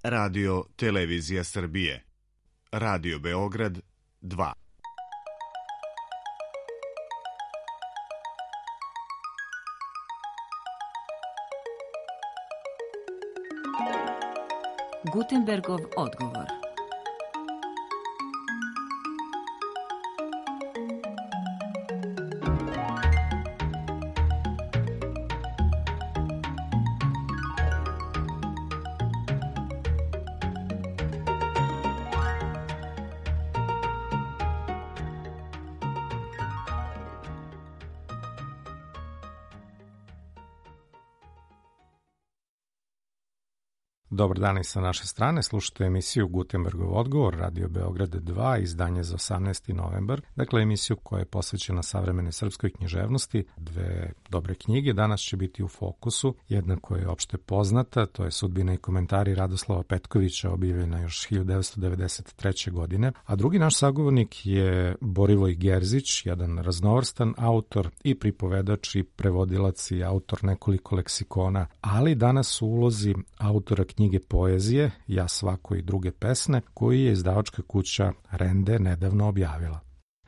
Radio Televizija Srbije, Radio Beograd 2. Gutenbergov odgovor. Dobar dan i sa naše strane, slušate emisiju Gutenbergov odgovor, Radio Beograd 2, izdanje za 18. novembar. Dakle, emisiju koja je posvećena savremene srpskoj književnosti, dve dobre knjige. Danas će biti u fokusu, jedna koja je opšte poznata, to je Sudbina i komentari Radoslava Petkovića, objavljena još 1993. godine, a drugi naš sagovornik je Borivoj Gerzić, jedan raznovrstan autor i pripovedač i prevodilac i autor nekoliko leksikona, ali danas u ulozi autora knjige poezije Ja svako i druge pesme, koji je izdavačka kuća Rende nedavno objavila.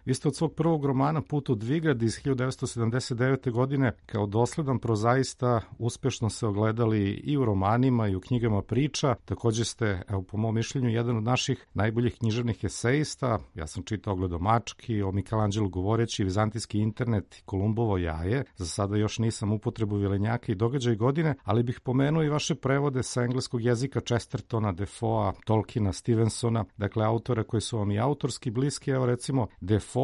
Vi ste od svog prvog romana Put u Dvigrad iz 1979. godine kao dosledan prozaista uspešno se ogledali i u romanima i u knjigama priča. Također ste, evo po mom mišljenju, jedan od naših najboljih književnih esejista. Ja sam čitao Gledomački, o Michelangelu govoreći, Vizantijski internet i Kolumbovo jaje. Za sada još nisam upotrebu Vilenjaka i Događaj godine, ali bih pomenuo i vaše prevode sa engleskog jezika Chestertona, Defoea, Tolkiena, Stevensona, dakle autora koji su vam i autorski bliski. Evo recimo Defoe,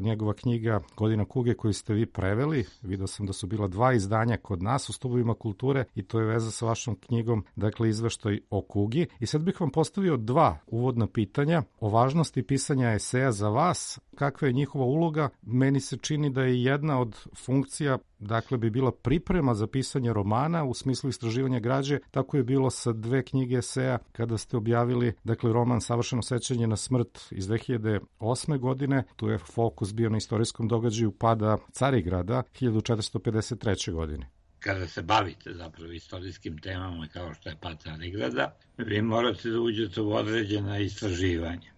njegova knjiga Godina kuge koju ste vi preveli, vidio sam da su bila 2 izdanja kod nas u Stubovima kulture i to je veza sa vašom knjigom, dakle izveštaj o kugi. I sad bih vam postavio 2 uvodna pitanja o važnosti pisanja eseja za vas, kakva je njihova uloga. Meni se čini da je jedna od funkcija, dakle, bi bila priprema za pisanje romana u smislu istraživanja građe. Tako je bilo sa 2 knjige eseja kada ste objavili, dakle, roman Savršeno sećanje na smrt iz 2008. godine. Tu je fokus bio na istorijskom događaju pada Carigrada 1453. godine. Kada se bavite zapravo istorijskim temama kao što je pad Carigrada, vi morate da uđete u određena istraživanja.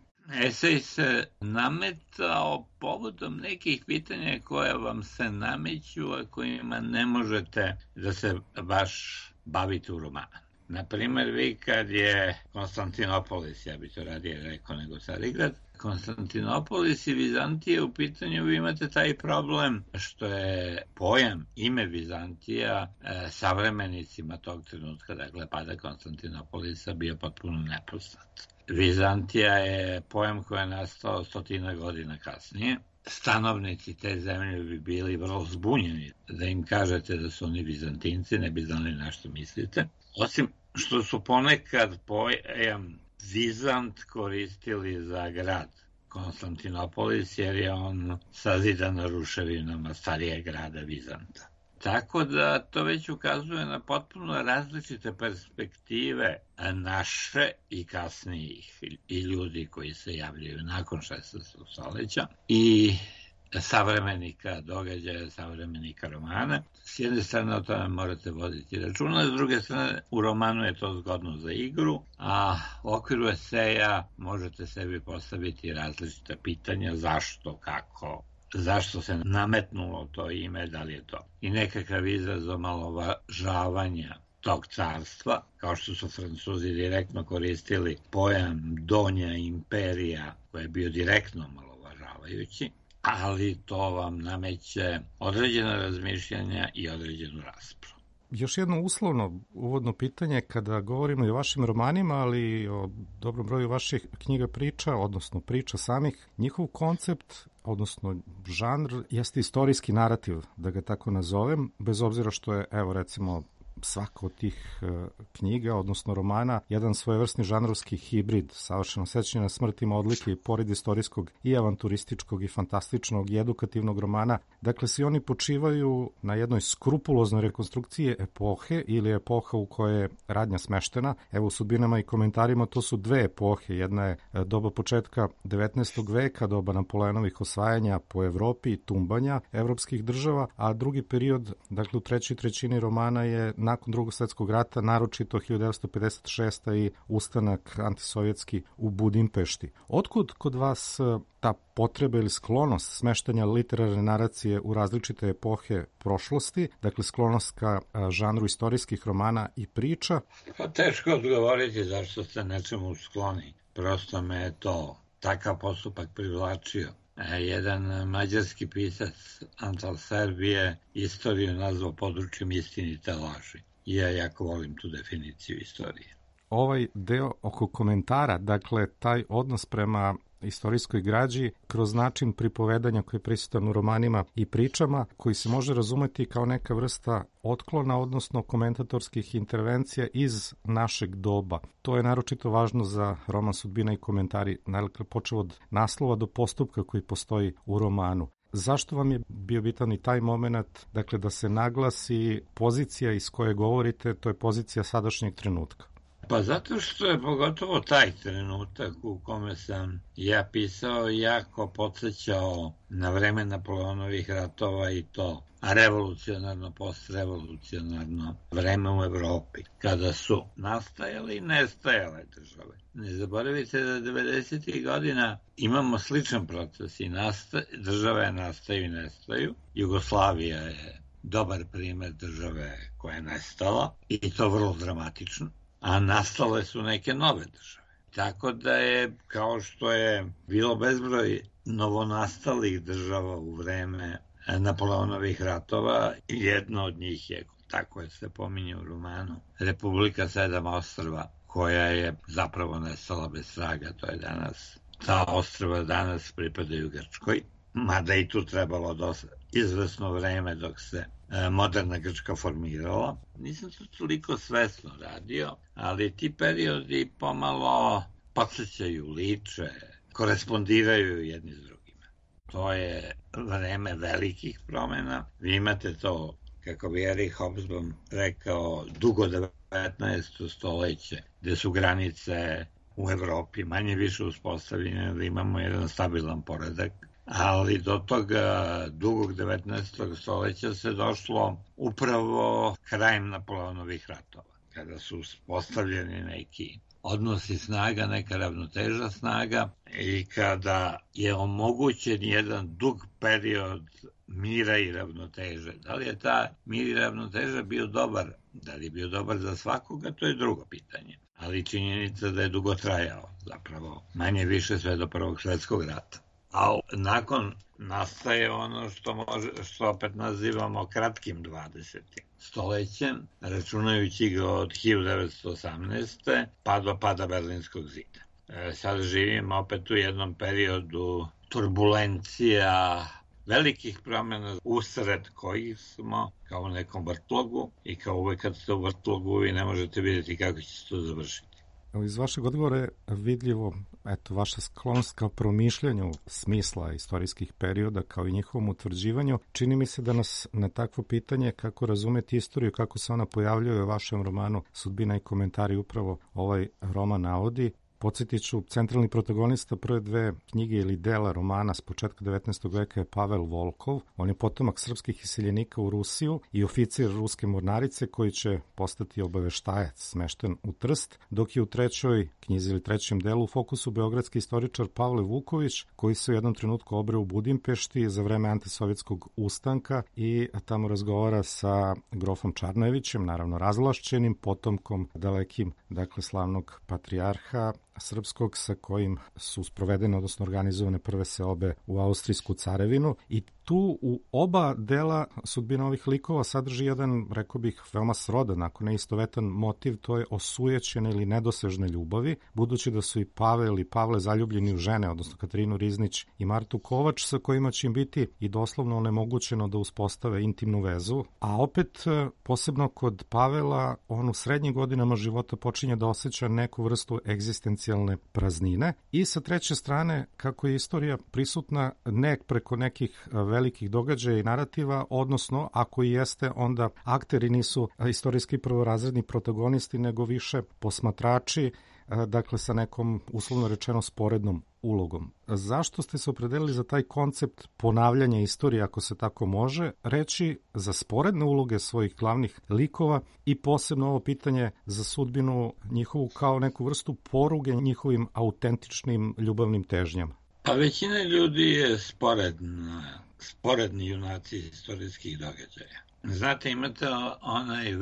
Esej se nametao povodom nekih pitanja koja vam se nameću, a kojima ne možete da se baš bavite u romanu. Naprimer, vi kad je Konstantinopolis, ja bi to radije rekao nego Carigrad, Konstantinopolis i Vizantija u pitanju, vi imate taj problem što je pojam, ime Vizantija savremenicima tog trenutka, dakle pada Konstantinopolisa, bio potpuno nepoznat. Vizantija je pojam koji je nastao 100 godina kasnije. Stanovnici te zemlje bi bili vrlo zbunjeni da im kažete da su oni Vizantinci, ne bi znali na što mislite. Osim što su ponekad pojam Vizant koristili za grad Konstantinopolis, jer je on sazidan na ruševinama starijeg grada Vizanta. Tako da to već ukazuje na potpuno različite perspektive naše i kasnijih i ljudi koji se javljaju nakon 16. stoljeća i savremenika događaja, savremenika romana. S jedne strane o tome morate voditi računa, s druge strane u romanu je to zgodno za igru, a u okviru eseja možete sebi postaviti različita pitanja zašto, kako, zašto se nametnulo to ime, da li je to i nekakav izraz omalovažavanja tog carstva, kao što su Francuzi direktno koristili pojam Donja imperija, koji je bio direktno omalovažavajući, ali to vam nameće određena razmišljanja i određenu raspravu. Još jedno uslovno uvodno pitanje, kada govorimo i o vašim romanima, ali i o dobrom broju vaših knjiga priča, odnosno priča samih, njihov koncept, odnosno žanr, jeste istorijski narativ, da ga tako nazovem, bez obzira što je, evo recimo, svaka od tih knjiga, odnosno romana, jedan svojevrsni žanrovski hibrid. Savršeno sećanje na smrt ima odlike i pored istorijskog i avanturističkog i fantastičnog i edukativnog romana. Dakle, svi oni počivaju na jednoj skrupuloznoj rekonstrukciji epohe ili epoha u kojoj je radnja smeštena. Evo u Sudbinama i komentarima to su 2 epohe. Jedna je doba početka 19. veka, doba Napoleonovih osvajanja po Evropi i tumbanja evropskih država, a drugi period, dakle u trećoj trećini romana je nakon Drugog svjetskog rata, naročito 1956. i ustanak antisovjetski u Budimpešti. Otkud kod vas ta potreba ili sklonost smeštanja literarne naracije u različite epohe prošlosti, dakle sklonost ka žanru istorijskih romana i priča? Pa teško odgovoriti zašto ste nečemu skloni. Prosto me je to takav postupak privlačio. Jedan mađarski pisac Antal Serbije istoriju nazvao područjem istinite laži. Ja jako volim tu definiciju istorije. Ovaj deo oko komentara, dakle taj odnos prema istorijskoj građi kroz način pripovedanja koji je prisutan u romanima i pričama, koji se može razumeti kao neka vrsta otklona, odnosno komentatorskih intervencija iz našeg doba. To je naročito važno za roman Sudbina i komentari, dakle počeo od naslova do postupka koji postoji u romanu. Zašto vam je bio bitan i taj moment, dakle da se naglasi pozicija iz koje govorite, to je pozicija sadašnjeg trenutka? Pa zato što je pogotovo taj trenutak u kome sam ja pisao jako podsjećao na vreme Napoleonovih ratova i to revolucionarno, postrevolucionarno vreme u Evropi, kada su nastajale i nestajale države. Ne zaboravite da 90. godina imamo sličan proces i države nastaju i nestaju. Jugoslavija je dobar primer države koja je nestala i to vrlo dramatično. A nastale su neke nove države. Tako da je, kao što je bilo bezbroj novonastalih država u vreme Napoleonovih ratova, jedna od njih je, tako je se pominje u romanu, Republika Sedam ostrva, koja je zapravo nestala bez traga, to je danas. Ta ostrva danas pripadaju Grčkoj, mada i tu trebalo izvesno vreme dok se moderna Grčka formirala. Nisam to toliko svesno radio, ali ti periodi pomalo podsjećaju, liče, korespondiraju jedni s drugima. To je vreme velikih promjena. Vi imate to, kako bi Erich Hobsbawm rekao, dugo 19. stoljeće, gde su granice u Evropi manje više uspostavljene, da imamo jedan stabilan poredak. Ali do toga dugog 19. stoljeća se došlo upravo krajem Napoleonovih ratova, kada su postavljeni neki odnosi snaga, neka ravnoteža snaga i kada je omogućen jedan dug period mira i ravnoteže. Da li je ta mir i ravnoteža bio dobar? Da li je bio dobar za svakoga? To je drugo pitanje. Ali činjenica da je dugo trajao, zapravo manje više sve do Prvog svjetskog rata. A nakon nastaje ono što opet nazivamo kratkim 20. stoljećem, računajući ga od 1918. pa do pada Berlinskog zida. Sad živimo opet u jednom periodu turbulencija, velikih promjena usred kojih smo kao u nekom vrtlogu i kao uvek kad ste u vrtlogu vi ne možete vidjeti kako će se to završiti. Iz vašeg odgovora je vidljivo vaša sklonost kao promišljanju smisla istorijskih perioda kao i njihovom utvrđivanju. Čini mi se da nas na takvo pitanje kako razumeti istoriju, kako se ona pojavljuje u vašem romanu Sudbina i komentari upravo ovaj roman navodi. Podsjetit ću, centralni protagonista prve dve knjige ili dela romana s početka 19. veka je Pavel Volkov. On je potomak srpskih iseljenika u Rusiju i oficir ruske mornarice koji će postati obaveštajac smešten u Trst, dok je u trećoj knjizi ili trećem delu u fokusu beogradski istoričar Pavle Vuković, koji se u jednom trenutku obreo u Budimpešti za vreme antisovjetskog ustanka i tamo razgovara sa grofom Čarnojevićem, naravno razvlašćenim, potomkom dalekim, dakle slavnog patrijarha srpskog sa kojim su sprovedene, odnosno organizovane prve seobe u Austrijsku carevinu i tu u oba dela sudbina ovih likova sadrži jedan, rekao bih, veoma srodan, ako ne istovetan motiv, to je osujećene ili nedosežne ljubavi, budući da su i Pavel i Pavle zaljubljeni u žene, odnosno Katarinu Riznić i Martu Kovač, sa kojima će im biti i doslovno onemogućeno da uspostave intimnu vezu, a opet posebno kod Pavela on u srednjim godinama života počinje da osjeća neku vrstu egzistencijalne praznine i sa treće strane kako je istorija prisutna ne preko nekih velikih događaja i narativa, odnosno ako i jeste, onda akteri nisu istorijski prvorazredni protagonisti, nego više posmatrači, dakle sa nekom uslovno rečeno sporednom ulogom. Zašto ste se opredelili za taj koncept ponavljanja istorije, ako se tako može reći, za sporedne uloge svojih glavnih likova i posebno ovo pitanje za sudbinu njihovu kao neku vrstu poruge njihovim autentičnim ljubavnim težnjama? Pa većina ljudi je sporedni junaci istorijskih događaja. Znate, imate onaj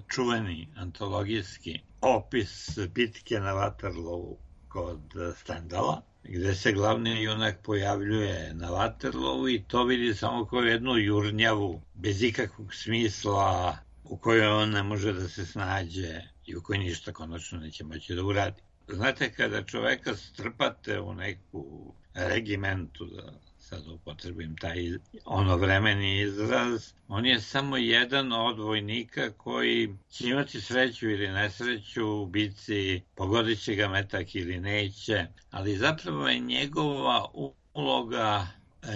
čuveni antologijski opis bitke na Waterloo kod Stendala, gde se glavni junak pojavljuje na Waterloo i to vidi samo kao jednu jurnjavu, bez ikakvog smisla, u kojoj on ne može da se snađe i u kojoj ništa konačno neće moći da uradi. Znate, kada čoveka strpate u neku regimentu, da sad upotrebim taj onovremeni izraz, on je samo jedan od vojnika koji će imati sreću ili nesreću u bici, pogodit će ga metak ili neće, ali zapravo je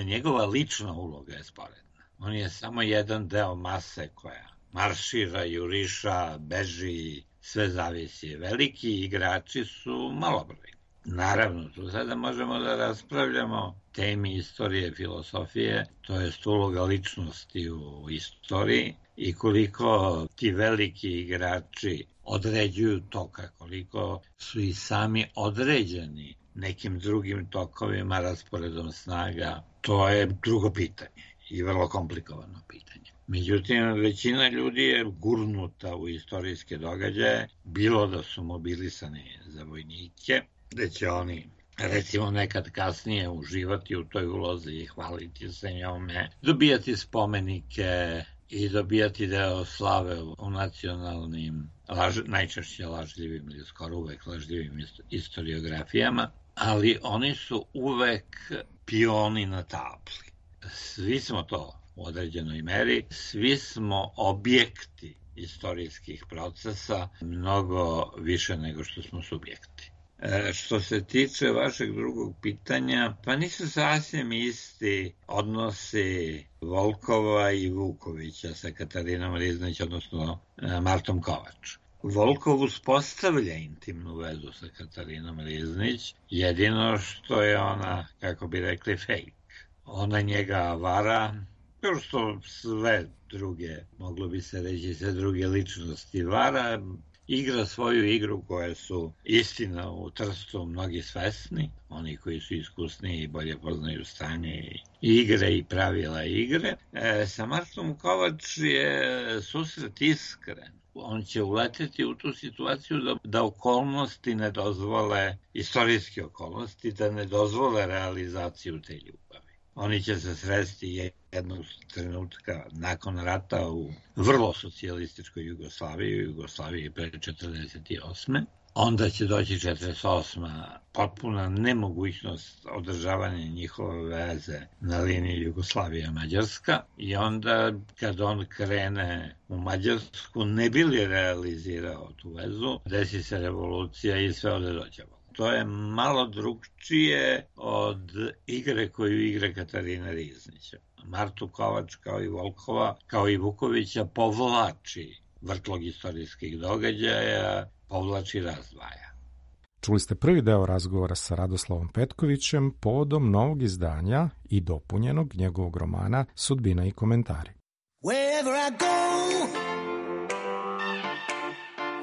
njegova lična uloga je sporedna. On je samo jedan deo mase koja maršira, juriša, beži, sve zavisi. Veliki igrači su malobrojni. Naravno, tu sada možemo da raspravljamo temi istorije, filosofije, to je uloga ličnosti u istoriji i koliko ti veliki igrači određuju toka, koliko su i sami određeni nekim drugim tokovima, rasporedom snaga, to je drugo pitanje i vrlo komplikovano pitanje. Međutim, većina ljudi je gurnuta u istorijske događaje, bilo da su mobilisani za vojnike, gde će oni, recimo, nekad kasnije uživati u toj ulozi i hvaliti se njome, dobijati spomenike i dobijati deo slave u nacionalnim, najčešće lažljivim ili skoro uvek lažljivim istoriografijama, ali oni su uvek pioni na tabli. Svi smo to u određenoj meri, svi smo objekti istorijskih procesa, mnogo više nego što smo subjekti. Što se tiče vašeg drugog pitanja, pa nisu sasvim isti odnosi Volkova i Vukovića sa Katarinom Riznić, odnosno Martom Kovač. Volkov uspostavlja intimnu vezu sa Katarinom Riznić, jedino što je ona, kako bi rekli, fake. Ona njega vara, kao što sve druge, moglo bi se reći, sve druge ličnosti vara, igra svoju igru koje su istina u Trstu mnogi svesni, oni koji su iskusniji i bolje poznaju stanje i igre i pravila igre. Sa Martom Kovač je susret iskren. On će uleteti u tu situaciju da okolnosti ne dozvole, istorijske okolnosti, da ne dozvole realizaciju te ljubavi. Oni će se sresti jednog trenutka nakon rata u vrlo socijalističkoj Jugoslaviji pre 1948. Onda će doći 1948. potpuna nemogućnost održavanja njihove veze na liniji Jugoslavija-Mađarska i onda kad on krene u Mađarsku ne bi li realizirao tu vezu, desi se revolucija i sve ode dođavo. To je malo drugčije od igre koju igra Katarina Riznića. Martu Kovač, kao i Volkova, kao i Vukovića, povlači vrtlog istorijskih događaja, povlači razdvaja. Čuli ste prvi deo razgovora sa Radoslavom Petkovićem povodom novog izdanja i dopunjenog njegovog romana Sudbina i komentari. Wherever I go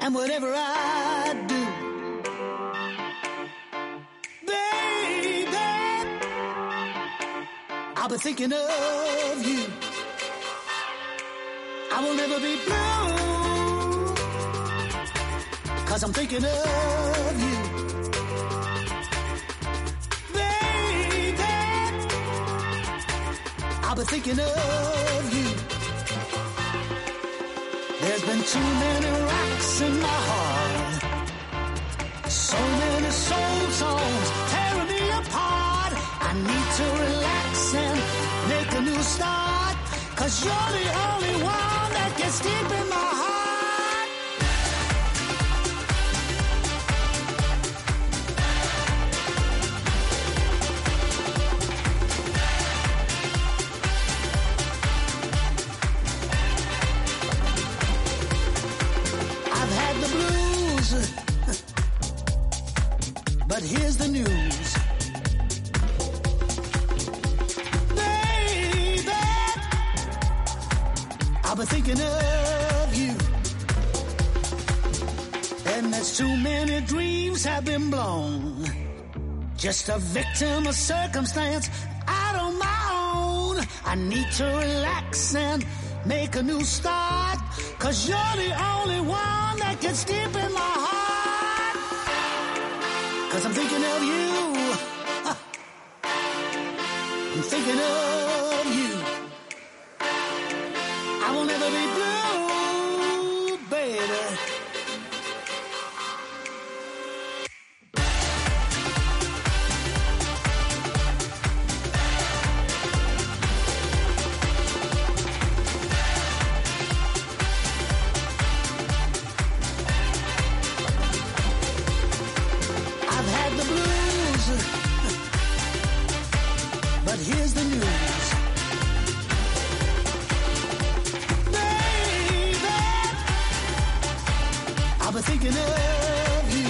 and whatever I do, I'll be thinking of you. I will never be blue, 'cause I'm thinking of you. Baby, I'll be thinking of you. There's been too many rocks in my heart, so many soul songs tearing me apart. I need to relax and make a new start, 'cause you're the only one that gets deep in my heart. I've had the blues, but here's the news. I've been thinking of you. And there's too many dreams have been blown. Just a victim of circumstance out on my own. I need to relax and make a new start, 'cause you're the only one that gets deep in my heart. 'Cause I'm thinking of you. I'm thinking of you. I will never be blue, baby. Here's the news, baby. I've been thinking of you.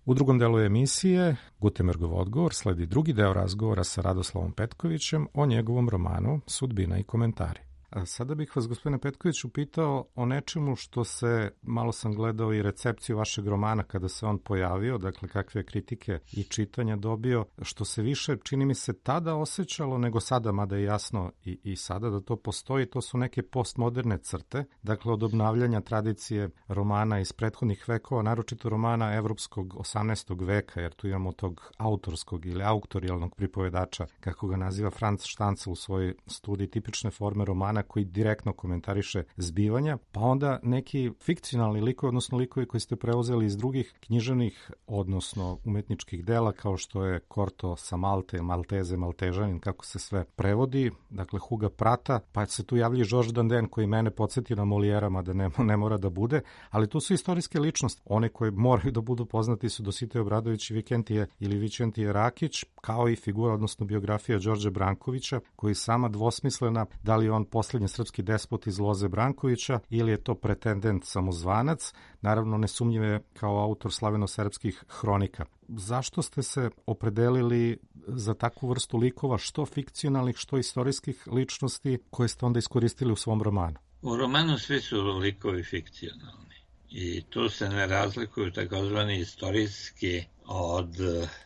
U drugom delu emisije Gutenbergov odgovor sledi drugi deo razgovora sa Radoslavom Petkovićem o njegovom romanu Sudbina i komentari. A sada bih vas, gospodine Petkoviću, pitao o nečemu što se, malo sam gledao i recepciju vašeg romana kada se on pojavio, dakle kakve kritike i čitanja dobio, što se više, čini mi se, tada osjećalo nego sada, mada je jasno i sada da to postoji, to su neke postmoderne crte, dakle od obnavljanja tradicije romana iz prethodnih vekova, naročito romana evropskog 18. veka, jer tu imamo tog autorskog ili auktorijalnog pripovedača, kako ga naziva Franz Stanzel u svojoj studiji tipične forme romana, koji direktno komentariše zbivanja, pa onda neki fikcionalni likovi, odnosno likovi koji ste preuzeli iz drugih književnih, odnosno umetničkih dela, kao što je Korto sa Malte, Malteze, Maltežanin, kako se sve prevodi, dakle Huga Prata, pa se tu javlja Georges Dandin, koji mene podsjeti na Molijera, mada ne mora da bude, ali tu su istorijske ličnosti. One koje moraju da budu poznati su Dositej Obradović i Vikentije Rakić, kao i figura, odnosno biografija Đorđa Brankovića, koji sama dvosmislena, da li on posljednji srpski despot iz Loze Brankovića ili je to pretendent samozvanac, naravno nesumnjive kao autor slaveno-serbskih hronika. Zašto ste se opredelili za takvu vrstu likova, što fikcionalnih, što istorijskih ličnosti, koje ste onda iskoristili u svom romanu? U romanu svi su likovi fikcionalni i tu se ne razlikuju takozvani istorijski od,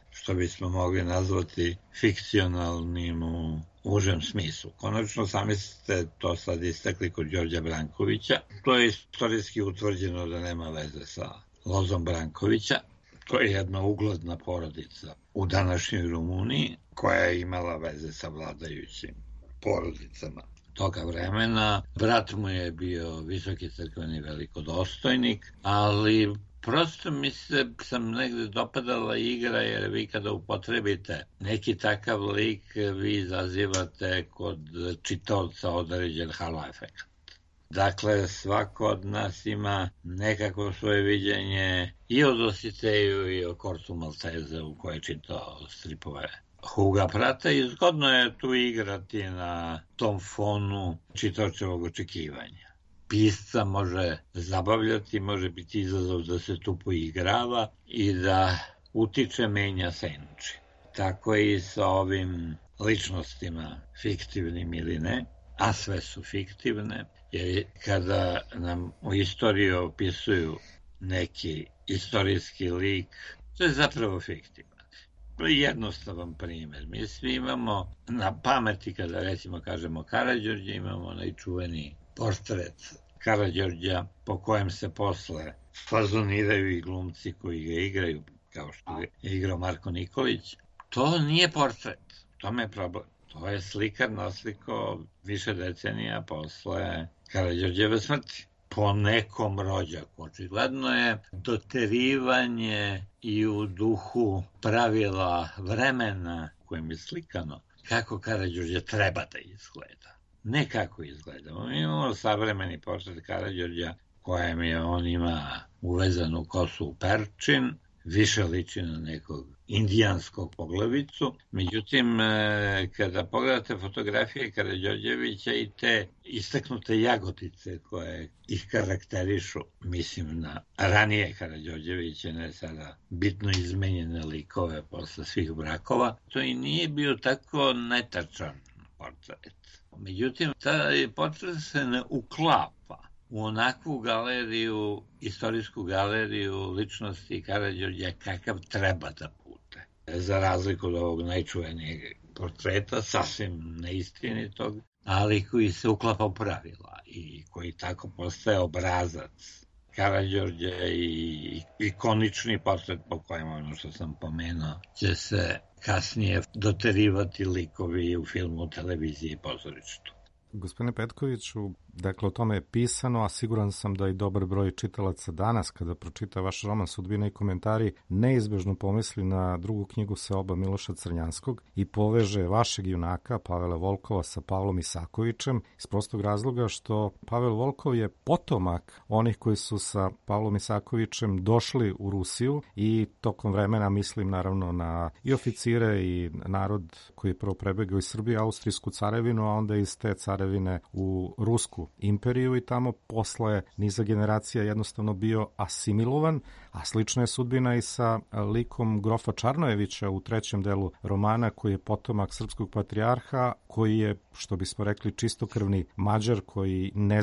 što bismo mogli nazvati, fikcionalnim u užem smislu. Konačno, sami ste to sad istakli kod Đorđa Brankovića. To je istorijski utvrđeno da nema veze sa Lozom Brankovića. To je jedna ugledna porodica u današnjoj Rumuniji, koja je imala veze sa vladajućim porodicama toga vremena. Brat mu je bio visoki crkveni velikodostojnik, ali prosto mi sam negde dopadala igra, jer vi kada upotrebite neki takav lik, vi izazivate kod čitaoca određen halo efekt. Dakle, svako od nas ima nekako svoje viđenje i o Dositeju i o Kortu Malteze u koje je čitao stripove Huga Prata i zgodno je tu igrati na tom fonu čitaočevog očekivanja. Pisca može zabavljati, može biti izazov da se tu poigrava i da utiče, menja, senči. Tako i sa ovim ličnostima, fiktivnim ili ne, a sve su fiktivne, jer kada nam u istoriji opisuju neki istorijski lik, to je zapravo fiktivan. Jednostavan primjer. Mi svi imamo na pameti, kada recimo kažemo Karađorđe, imamo onaj čuveni portret Karađorđa po kojem se posle fazoniraju i glumci koji ga igraju, kao što je igrao Marko Nikolić. To nije portret, to je problem. To je slikar naslikao više decenija posle Karađorđeve smrti. Po nekom rođaku. Očigledno je doterivanje i u duhu pravila vremena kojim je slikano kako Karađorđe treba da izgleda. Ne kako izgleda. Mi imamo savremeni portret Karađorđa kojem je on ima uvezanu kosu u perčin, više liči na nekog indijanskog poglavicu. Međutim, kada pogledate fotografije Karađorđevića i te istaknute jagotice koje ih karakterišu, mislim na ranije Karađorđeviće, ne sada bitno izmenjene likove posle svih brakova, to i nije bio tako netačan portret. Međutim, taj portret se ne uklapa u onakvu galeriju, istorijsku galeriju ličnosti Karađorđa kakav treba da bude. Za razliku od ovog najčuvenijeg portreta, sasvim neistinitog, ali koji se uklapa u pravila i koji tako postaje obrazac Karađorđa i ikonični portret po kojem, ono što sam pomenuo, će se kasnije doterivati likovi u filmu, televiziji i pozorištu. Gospodine Petkoviću, dakle o tome je pisano, a siguran sam da i dobar broj čitalaca danas kada pročita vaš roman Sudbina i komentari neizbežno pomisli na drugu knjigu Seoba Miloša Crnjanskog i poveže vašeg junaka Pavela Volkova sa Pavlom Isakovićem iz prostog razloga što Pavel Volkov je potomak onih koji su sa Pavlom Isakovićem došli u Rusiju i tokom vremena, mislim naravno na i oficire i narod koji je prvo prebegao iz Srbije, Austrijsku carevinu, a onda iz te carevine u Rusku imperiju i tamo posle niza generacija jednostavno bio asimilovan, a slična je sudbina i sa likom grofa Čarnojevića u trećem delu romana, koji je potomak srpskog patrijarha, koji je, što bismo rekli, čistokrvni Mađar koji ne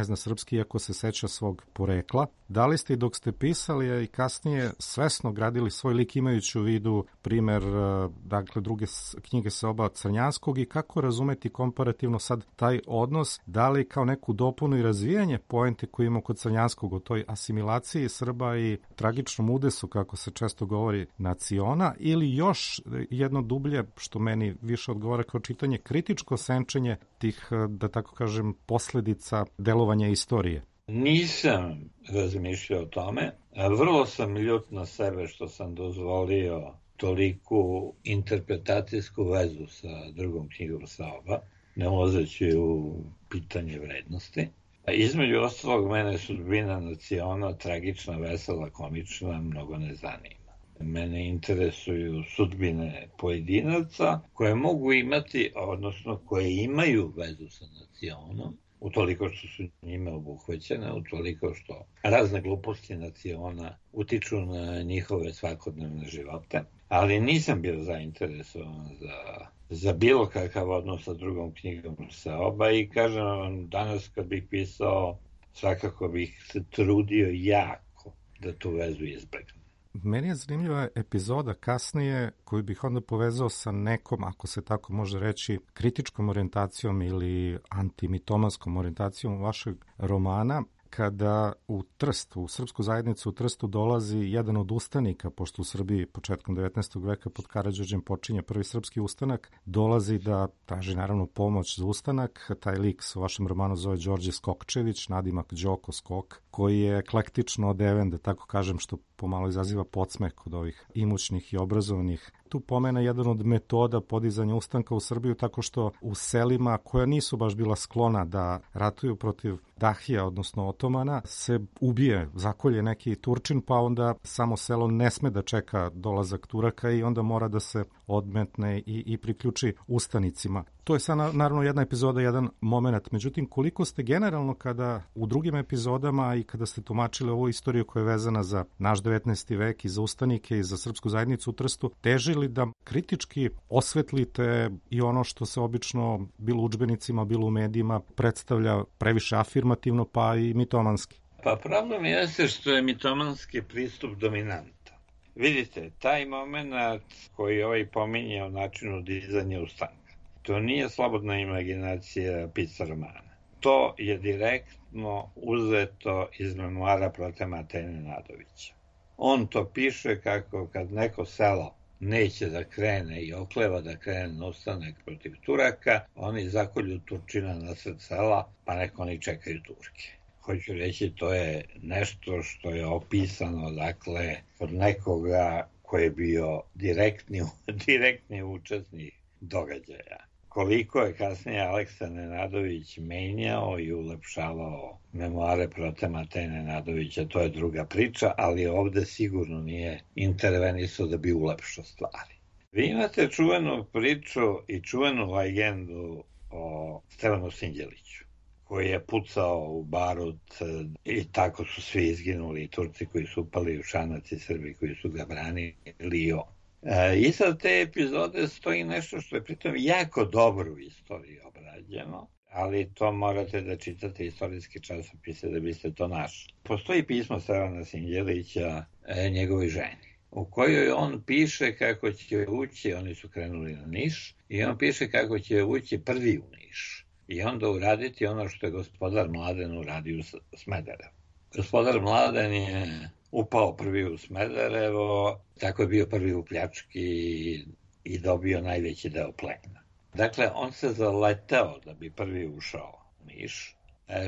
zna srpski, iako se seća svog porekla. Da li ste i dok ste pisali i kasnije svesno gradili svoj lik imajući u vidu primer, dakle, druge knjige Seoba Crnjanskog i kako razumeti komparativno sad taj odnos, da li kao neku dopunu i razvijanje poente koju ima kod Crnjanskog o toj asimilaciji Srba i tragičnom udesu, kako se često govori, naciona, ili još jedno dublje, što meni više odgovara kao čitanje, kritičko senčenje tih, da tako kažem, posledica delovanja istorije? Nisam razmišljao o tome. Vrlo sam ljut na sebe što sam dozvolio toliku interpretacijsku vezu sa drugom knjigom Seoba, ne ulazeći u pitanje vrednosti. Između ostalog, mene Sudbina naciona, tragična, vesela, komična, mnogo ne zanima. Mene interesuju sudbine pojedinaca koje mogu imati, odnosno koje imaju vezu sa nacionom, utoliko što su njime obuhvaćene, utoliko što razne gluposti naciona utiču na njihove svakodnevne živote, ali nisam bio zainteresovan za bilo kakav odnos sa drugom knjigom Seoba i kažem vam, danas kad bih pisao, svakako bih se trudio jako da tu vezu izbegnem. Meni je zanimljiva epizoda kasnije koju bih onda povezao sa nekom, ako se tako može reći, kritičkom orijentacijom ili antimitomanskom orijentacijom vašeg romana, kada u Trst, u srpsku zajednicu u Trstu dolazi jedan od ustanika, pošto u Srbiji početkom 19. veka pod Karađorđem počinje prvi srpski ustanak, dolazi da traži naravno pomoć za ustanak. Taj lik se u vašem romanu zove Đorđe Skokčević, nadimak Đoko Skok, koji je eklektično odeven, da tako kažem, što pomalo izaziva podsmeh kod ovih imućnih i obrazovanih. Tu pomena jedan od metoda podizanja ustanka u Srbiju tako što u selima koja nisu baš bila sklona da ratuju protiv Dahija, odnosno Otomana, se ubije, zakolje neki Turčin, pa onda samo selo ne sme da čeka dolazak Turaka i onda mora da se odmetne i priključi ustanicima. To je sad naravno jedna epizoda, jedan moment. Međutim, koliko ste generalno kada u drugim epizodama i kada ste tumačili ovu istoriju koja je vezana za naš 19. vek i za ustanike i za srpsku zajednicu u Trstu, težili da kritički osvetlite i ono što se obično bilo u udžbenicima, bilo u medijima predstavlja previše afirmativno pa i mitomanski? Pa problem jeste što je mitomanski pristup dominantan. Vidite, taj moment koji ovaj pominje o načinu dizanja ustanka, to nije slobodna imaginacija pisca romana. To je direktno uzeto iz memoara Protemata Nenadovića. On to piše kako kad neko selo neće da krene i okleva da krene na ustanak protiv Turaka, oni zakolju Turčina na sred sela, pa neko oni čekaju Turke. Hoću reći, to je nešto što je opisano, dakle, od nekoga koji je bio direktni učesnik događaja, koliko je kasnije Aleksa Nenadović menjao i ulepšavao memoare Prote Mateje Nenadovića, to je druga priča, ali ovde sigurno nije intervenisao da bi ulepšao stvari. Vi imate čuvenu priču i čuvenu legendu o Stevanu Sinđeliću, koji je pucao u barut i tako su svi izginuli, i Turci koji su upali u Šanac i Srbi koji su ga branili i on. Iza te epizode stoji nešto što je pritom jako dobro u istoriji obrađeno, ali to morate da čitate istorijske časopise da biste to našli. Postoji pismo Stevana Sinđelića njegovoj ženi, u kojoj on piše kako će ući, oni su krenuli na Niš, i on piše kako će ući prvi u Niš i onda uraditi ono što je gospodar Mladen uradio u Smederevu. Gospodar Mladen je upao prvi u Smederevo, tako je bio prvi u pljački i dobio najveći deo plena. Dakle, on se zaleteo da bi prvi ušao u Niš,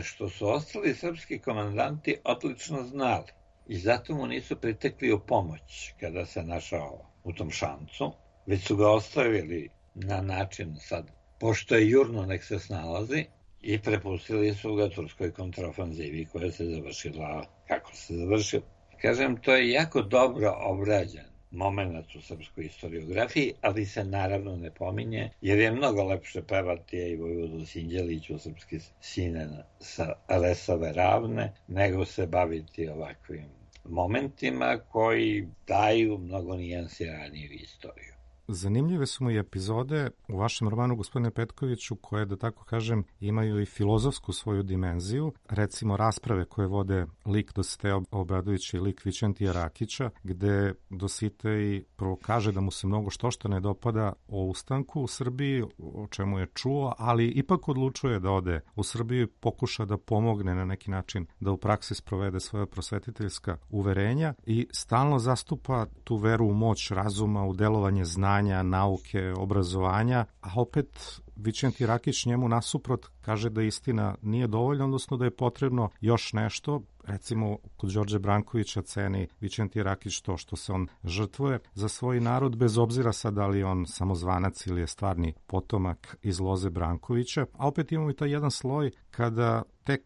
što su ostali srpski komandanti odlično znali i zato mu nisu pritekli u pomoć kada se našao u tom šancu, već su ga ostavili na način sad, pošto je jurno nek se snalazi, i prepustili su ga turskoj kontraofanzivi koja se završila kako se završila. Kažem, to je jako dobro obrađen moment u srpskoj historiografiji, ali se naravno ne pominje, jer je mnogo lepše pevati i Vojvodu Sinđeliću, srpski sine sa Resove ravne, nego se baviti ovakvim momentima koji daju mnogo nijansiraniju istoriju. Zanimljive su mu i epizode u vašem romanu, gospodine Petkoviću, koje, da tako kažem, imaju i filozofsku svoju dimenziju. Recimo rasprave koje vode lik Dositeja Obradovića i lik Vićentija Rakića, gde Dositej prvo kaže da mu se mnogo što ne dopada o ustanku u Srbiji, o čemu je čuo, ali ipak odlučuje da ode u Srbiju i pokuša da pomogne na neki način da u praksi sprovede svoje prosvetiteljska uverenja i stalno zastupa tu veru u moć razuma, u delovanje znanja, nauke, obrazovanja, a opet Vićentij Rakić njemu nasuprot kaže da istina nije dovoljna, odnosno da je potrebno još nešto. Recimo, kod Đorđe Brankovića ceni Vićentij Rakić to što se on žrtvuje za svoj narod, bez obzira sad da li je on samozvanac ili je stvarni potomak iz loze Brankovića. A opet imamo i taj jedan sloj kada tek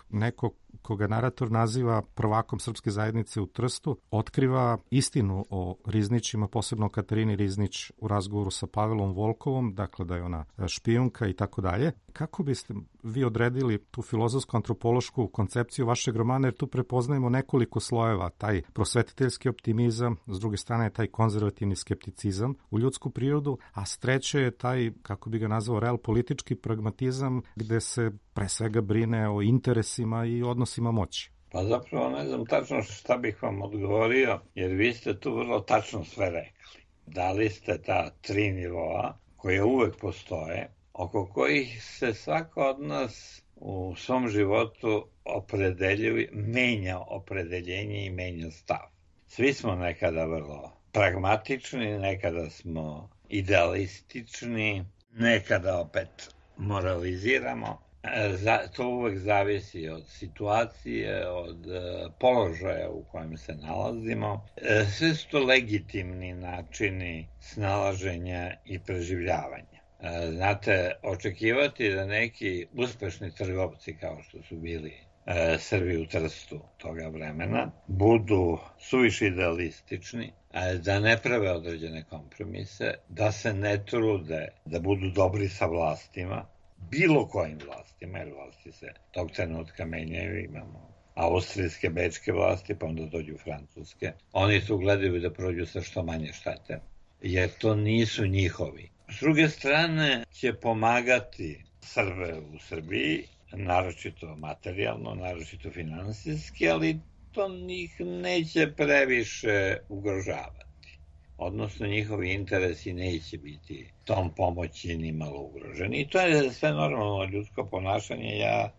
neko koga narator naziva prvakom srpske zajednice u Trstu, otkriva istinu o Riznićima, posebno Katarini Riznić u razgovoru sa Pavelom Volkovom, dakle da je ona špijunka i tako dalje. Kako biste vi odredili tu filozofsko-antropološku koncepciju vašeg romana, jer tu prepoznajemo nekoliko slojeva, taj prosvetiteljski optimizam, s druge strane taj konzervativni skepticizam u ljudsku prirodu, a s treće je taj, kako bi ga nazvao, realpolitički pragmatizam, gde se pre svega brine o interesima i odnosima moći. Pa zapravo ne znam tačno šta bih vam odgovorio, jer vi ste tu vrlo tačno sve rekli. Dali ste ta 3 nivoa koje uvek postoje, oko kojih se svako od nas u svom životu opredeljuje, menja opredeljenje i menja stav. Svi smo nekada vrlo pragmatični, nekada smo idealistični, nekada opet moraliziramo. To uvek zavisi od situacije, od položaja u kojem se nalazimo. Sve su to legitimni načini snalaženja i preživljavanja. Znate, očekivati da neki uspešni trgovci, kao što su bili Srbi u Trstu toga vremena, budu suviše idealistični, da ne prave određene kompromise, da se ne trude da budu dobri sa vlastima, bilo kojim vlastima, jer vlasti se tog trenutka menjaju, imamo austrijske, bečke vlasti, pa onda dođu francuske. Oni tu gledaju da prođu sa što manje štete, jer to nisu njihovi. S druge strane će pomagati Srbe u Srbiji, naročito materijalno, naročito finansijski, ali to njih neće previše ugrožavati. Odnosno, njihovi interesi neće biti tom pomoći ni malo ugroženi. I to je sve normalno ljudsko ponašanje. Ja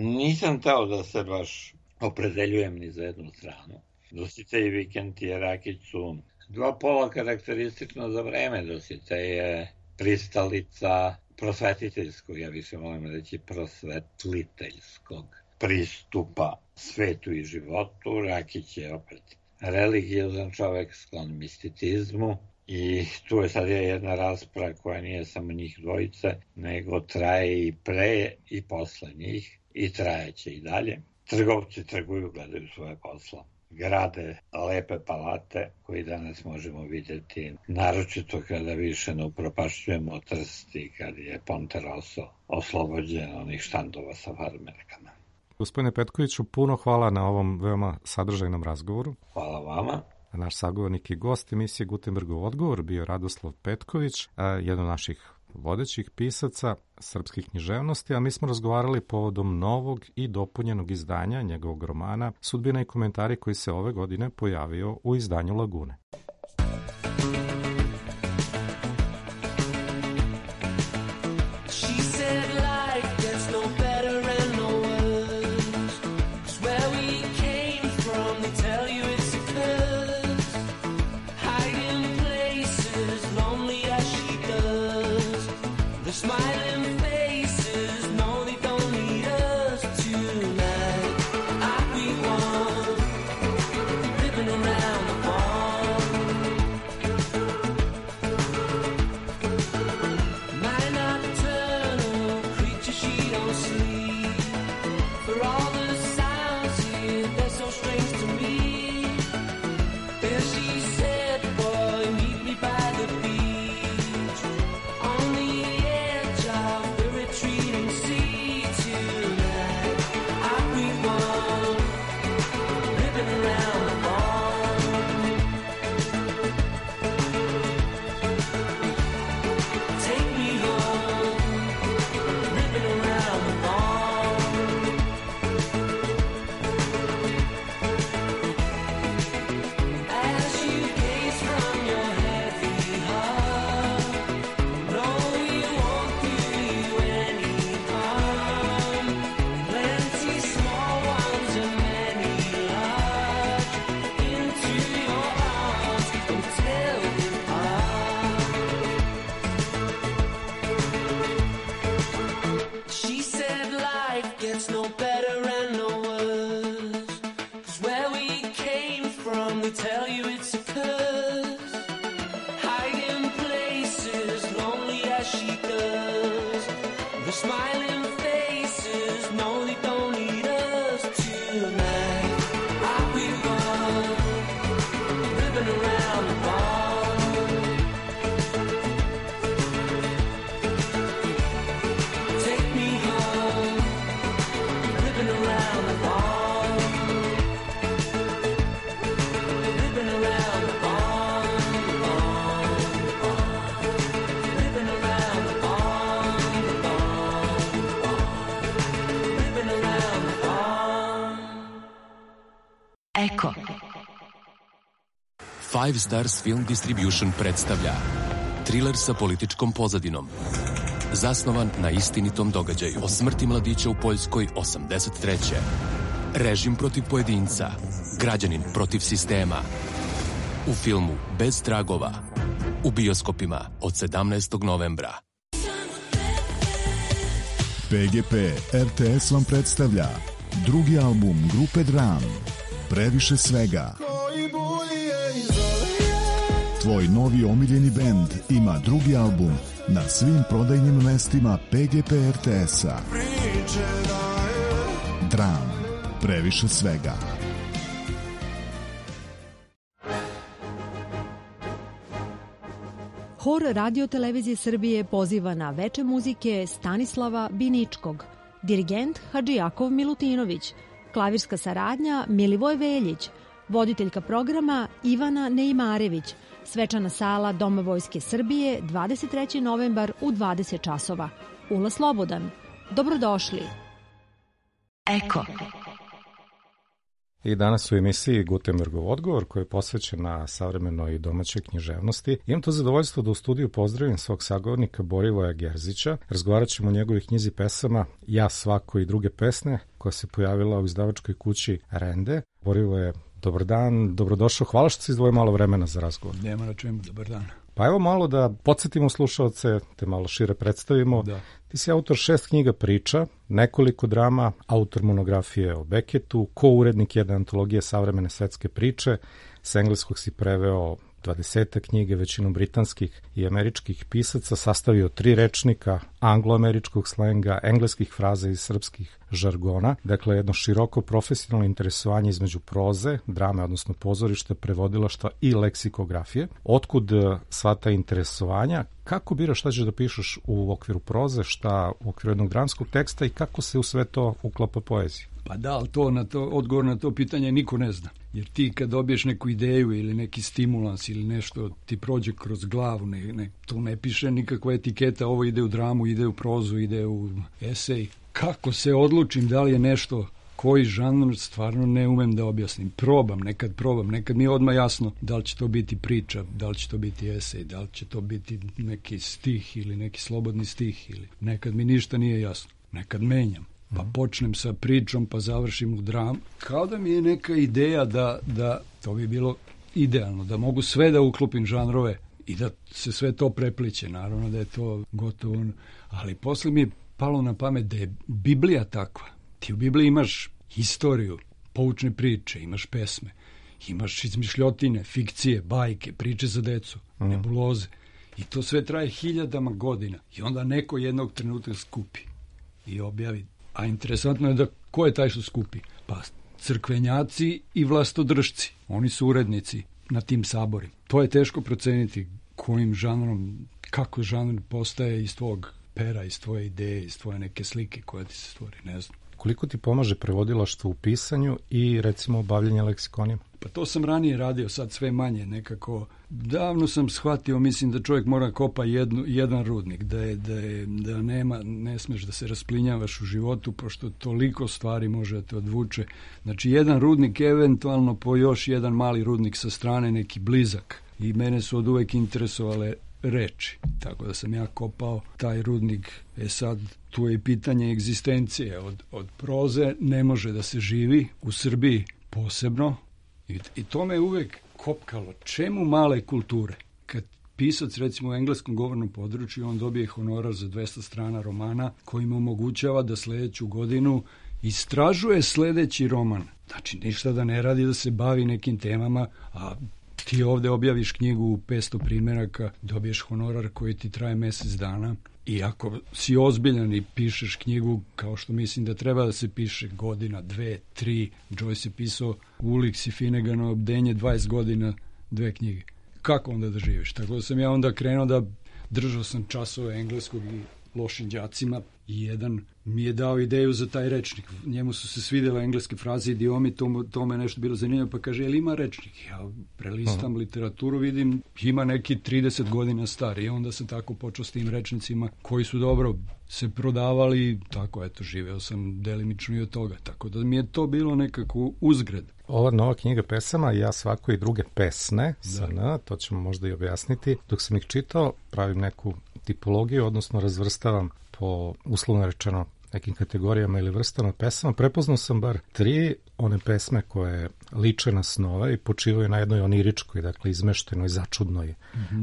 nisam teo da se baš opredeljujem ni za jednu stranu. Dositej i Vićentije Rakić su dva pola karakteristično za vreme. Dositej je pristalica prosvetiteljskog, ja više volim reći prosvetliteljskog pristupa svetu i životu. Rakić je opet religiozan čovek, sklon misticizmu. I tu je sad jedna rasprava koja nije samo njih dvojice, nego traje i pre i posle njih i trajeće i dalje. Trgovci trguju, gledaju svoje posla. Grade lepe palate koji danas možemo vidjeti, naročito kada više ne upropašćujemo Trst i kad je Ponte Rosso oslobođen onih štandova sa farmerkama. Gospodine Petkoviću, puno hvala na ovom veoma sadržajnom razgovoru. Hvala vama. Naš sagovornik i gost emisije Gutenbergov odgovor bio Radoslav Petković, jedan od naših vodećih pisaca srpskih književnosti, a mi smo razgovarali povodom novog i dopunjenog izdanja njegovog romana Sudbina i komentari koji se ove godine pojavio u izdanju Lagune. Eko. Five Stars Film Distribution predstavlja triler sa političkom pozadinom. Zasnovan na istinitom događaju o smrti mladića u Poljskoj 83. Režim protiv pojedinca, građanin protiv sistema. U filmu Bez tragova. U bioskopima od 17. novembra. PGP RTS vam predstavlja drugi album grupe Dram, Previše svega. Tvoj novi omiljeni bend ima drugi album na svim prodajnim mestima PGP RTS-a. Dram, Previše svega. Hor Radio-televizije Srbije poziva na veče muzike Stanislava Biničkog, dirigent Hadžijakov Milutinović, klavirska saradnja Milivoj Veljić, voditeljka programa Ivana Neimarević, svečana sala Doma Vojske Srbije 23. novembar u 20 časova. Ulaz slobodan. Dobrodošli. Eko. I danas u emisiji Gutenbergov odgovor koji je posvećen na savremenoj i domaćoj književnosti. Imam to zadovoljstvo da u studiju pozdravim svog sagovornika Borivoja Gerzića. Razgovarat ćemo o njegovih knjizi pesama Ja, svako i druge pesme koja se pojavila u izdavačkoj kući Rende. Borivoje, dobar dan, dobrodošao. Hvala što si izdvojio malo vremena za razgovor. Nema na čemu, dobar dan. Pa evo malo da podsjetimo slušaoce, te malo šire predstavimo. Da. Ti si autor 6 knjiga priča, nekoliko drama, autor monografije o Beketu, ko-urednik jedne antologije savremene svetske priče, s engleskog si preveo 20 knjige, većinom britanskih i američkih pisaca, sastavio 3 rečnika angloameričkog slenga, engleskih fraza i srpskih žargona. Dakle, jedno široko profesionalno interesovanje između proze, drame, odnosno pozorišta, prevodilaštva i leksikografije. Otkud sva ta interesovanja? Kako biraš šta ćeš da pišeš u okviru proze, šta u okviru jednog dramskog teksta i kako se u sve to uklapa poezija? Pa da, ali odgovor na to pitanje niko ne zna. Jer ti kad dobiješ neku ideju ili neki stimulans ili nešto ti prođe kroz glavu, to ne piše nikakva etiketa, ovo ide u dramu, ide u prozu, ide u esej. Kako se odlučim da li je nešto, koji žanr, stvarno ne umem da objasnim. Probam, nekad mi je odmah jasno da li će to biti priča, da li će to biti esej, da li će to biti neki stih ili neki slobodni stih, ili nekad mi ništa nije jasno, nekad menjam. Pa počnem sa pričom, pa završim u dramu. Kao da mi je neka ideja da to bi bilo idealno, da mogu sve da uklopim žanrove i da se sve to prepliće. Naravno da je to gotovo, ali posle mi je palo na pamet da je Biblija takva. Ti u Bibliji imaš historiju, poučne priče, imaš pesme, imaš izmišljotine, fikcije, bajke, priče za decu, nebuloze. I to sve traje 1000 godina. I onda neko jednog trenutka skupi i objavi. A interesantno je da ko je taj što skupi? Pa crkvenjaci i vlastodržci. Oni su urednici na tim saborima. To je teško proceniti kojim žanrom, kako žanr postaje iz tvog pera, iz tvoje ideje, iz tvoje neke slike koja ti se stvori, ne znam. Koliko ti pomaže prevodilaštvo u pisanju i recimo bavljanje leksikonima? Pa to sam ranije radio, sad sve manje nekako. Davno sam shvatio, mislim da čovjek mora kopa jedan rudnik, da ne smeš da se rasplinjavaš u životu, pošto toliko stvari može da te odvuče. Znači jedan rudnik, eventualno po još jedan mali rudnik sa strane, neki blizak. I mene su od uvek interesovale reči, tako da sam ja kopao taj rudnik. Sad tu je i pitanje egzistencije. Od proze ne može da se živi, u Srbiji posebno, i to me uvek kopkalo. Čemu male kulture? Kad pisac, recimo u engleskom govornom području, on dobije honorar za 200 strana romana koji mu omogućava da sledeću godinu istražuje sledeći roman. Znači, ništa da ne radi, da se bavi nekim temama, a ti ovde objaviš knjigu u 500 primjeraka, dobiješ honorar koji ti traje mesec dana. I ako si ozbiljan i pišeš knjigu, kao što mislim da treba da se piše godina, 2, 3, Joyce je pisao Ulix i Finneganovo bdenje 20 godina, 2 knjige. Kako onda da živiš? Tako da sam ja onda krenuo da držao sam časove engleskog i lošim đacima i jedan mi je dao ideju za taj rečnik. Njemu su se svidjela engleske fraze, idiomi, to me nešto bilo zanimljivo, pa kaže, jel ima rečnik? Ja prelistam literaturu, vidim, ima neki 30 godina stari i onda sam tako počeo s tim rečnicima koji su dobro se prodavali, tako eto, živeo sam delimično i od toga, tako da mi je to bilo nekako uzgred. Ova nova knjiga pesama, ja svako i druge pesne, to ćemo možda i objasniti. Dok sam ih čitao, pravim neku tipologiju, odnosno razvrstavam po, uslovno rečeno, nekim kategorijama ili vrstama pesama. Prepoznao sam bar 3 one pesme koje liče na snove i počivaju na jednoj oniričkoj, dakle izmeštenoj, začudnoj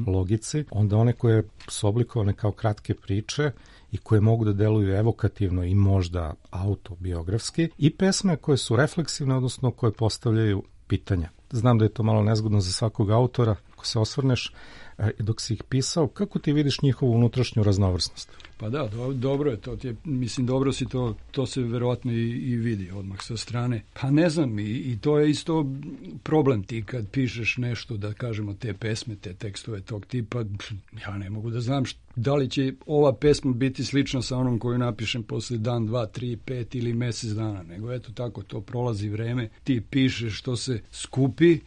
logici. Onda one koje su oblikovane kao kratke priče i koje mogu da deluju evokativno i možda autobiografski, i pesme koje su refleksivne, odnosno koje postavljaju pitanja. Znam da je to malo nezgodno za svakog autora, ako se osvrneš, dok si ih pisao, kako ti vidiš njihovu unutrašnju raznovrsnost? Pa da, dobro je to, mislim, dobro si to se verovatno i vidi odmah sa strane. Pa ne znam, i to je isto problem ti kad pišeš nešto, da kažemo te pesme, te tekstove tog tipa, ja ne mogu da znam da li će ova pesma biti slična sa onom koju napišem posle dan, 2, 3, 5 ili mesec dana, nego eto tako, to prolazi vreme, ti pišeš što se skupi.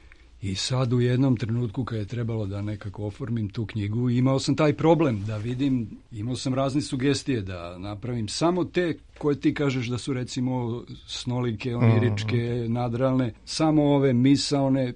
I sad u jednom trenutku kad je trebalo da nekako oformim tu knjigu, imao sam taj problem da vidim, imao sam razne sugestije da napravim samo te koje ti kažeš da su recimo snolike, oniričke, nadrealne, samo ove misaone,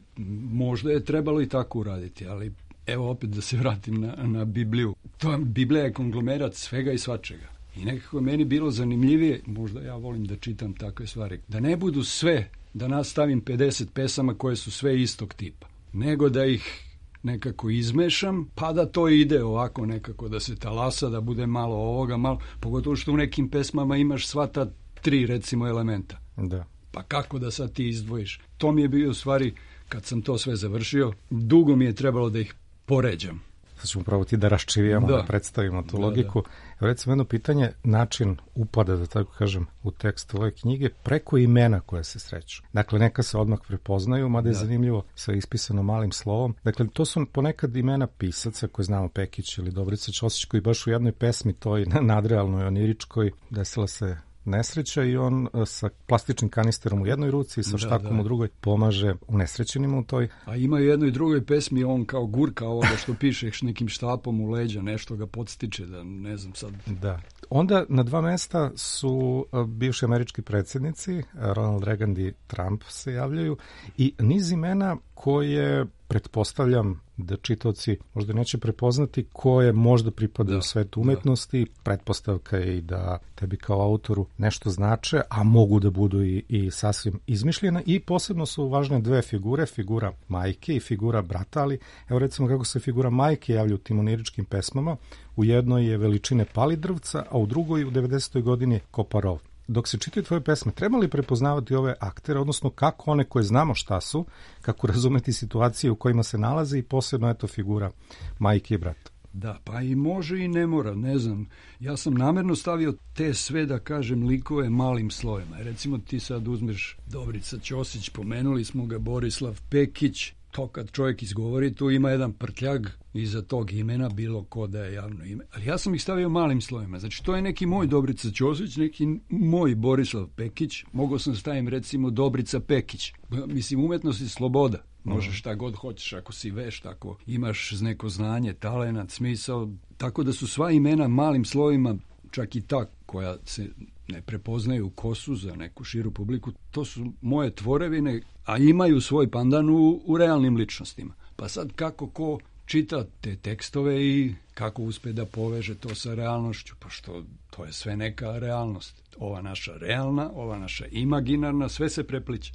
možda je trebalo i tako uraditi, ali evo opet da se vratim na Bibliju. Biblija je konglomerat svega i svačega. I nekako je meni bilo zanimljivije, možda ja volim da čitam takve stvari, da ne budu sve, da nastavim 50 pesama koje su sve istog tipa, nego da ih nekako izmešam, pa da to ide ovako nekako, da se talasa, da bude malo ovoga, malo, pogotovo što u nekim pesmama imaš sva ta 3 recimo elementa. Da. Pa kako da sad ti izdvojiš? To mi je bio u stvari kad sam to sve završio, dugo mi je trebalo da ih poređam. Sad ćemo probati da raščivijamo, da predstavimo tu logiku. Evo recimo jedno pitanje, način upada, da tako kažem, u tekst ove knjige preko imena koje se sreću. Dakle, neka se odmah prepoznaju, mada je zanimljivo, sve ispisano malim slovom. Dakle, to su ponekad imena pisaca koje znamo, Pekić ili Dobrica Ćosić, koji baš u jednoj pesmi, toj nadrealnoj, oniričkoj, desila se nesreća i on sa plastičnim kanisterom u jednoj ruci i sa štakom u drugoj pomaže unesrećenima u toj. A ima u jednoj drugoj pesmi on kao gurka ovoga što pišeš nekim štapom u leđa, nešto ga podstiče, da ne znam sad. Da. Onda na 2 mesta su bivši američki predsjednici, Ronald Reagan i Trump se javljaju i niz imena koje pretpostavljam da čitaoci možda neće prepoznati, koje možda pripadaju svetu umetnosti. Pretpostavka je i da tebi kao autoru nešto znače, a mogu da budu i sasvim izmišljena. I posebno su važne 2 figure, figura majke i figura brata, ali evo recimo kako se figura majke javlja u tim oniričkim pesmama. U jednoj je veličine Palidrvca, a u drugoj u 90. godini Koparov. Dok se čitaju tvoje pesme, treba li prepoznavati ove aktere, odnosno kako one koje znamo šta su, kako razumeti situacije u kojima se nalaze i posebno eto figura majke i brata? Da, pa i može i ne mora, ne znam. Ja sam namjerno stavio te sve, da kažem, likove malim slojima. Recimo ti sad uzmeš Dobrica Ćosić, pomenuli smo ga, Borislav Pekić. To kad čovjek izgovori, tu ima jedan prtljag iza tog imena, bilo ko da je javno ime. Ali ja sam ih stavio malim slojima. Znači, to je neki moj Dobrica Ćosić, neki moj Borislav Pekić. Mogao sam stavim, recimo, Dobrica Pekić. Mislim, umetnost je sloboda. Možeš šta god hoćeš, ako si vešt, ako imaš neko znanje, talenat, smisao. Tako da su sva imena malim slojima, čak i ta koja se ne prepoznaju kosu za neku širu publiku, to su moje tvorevine, a imaju svoj pandan u realnim ličnostima. Pa sad kako ko čita te tekstove i kako uspe da poveže to sa realnošću, pa što to je sve neka realnost. Ova naša realna, ova naša imaginarna, sve se prepliče.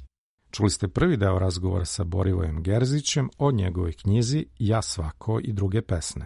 Čuli ste prvi deo razgovora sa Borivojem Gerzićem o njegovoj knjizi Ja svako i druge pesme.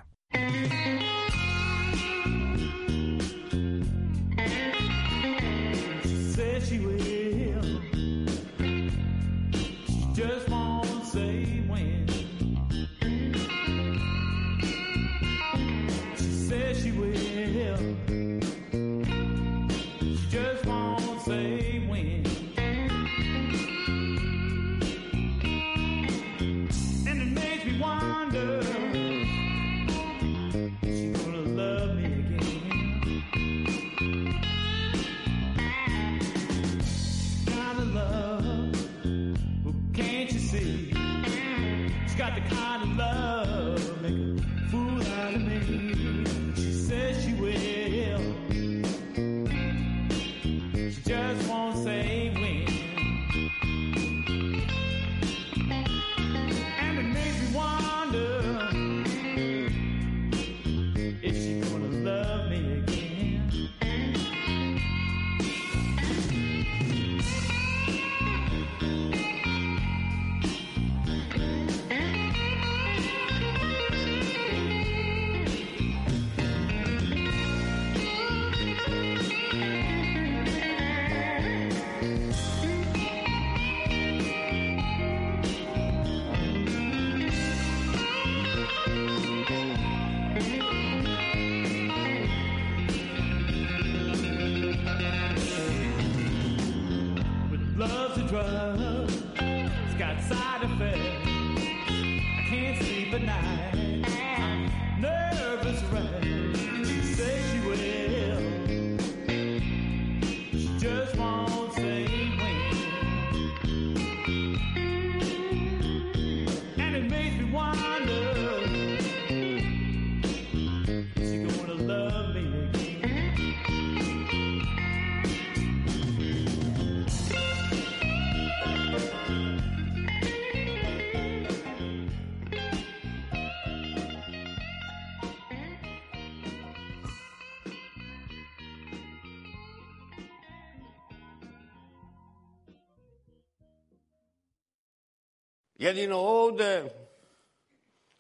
Jedino ovde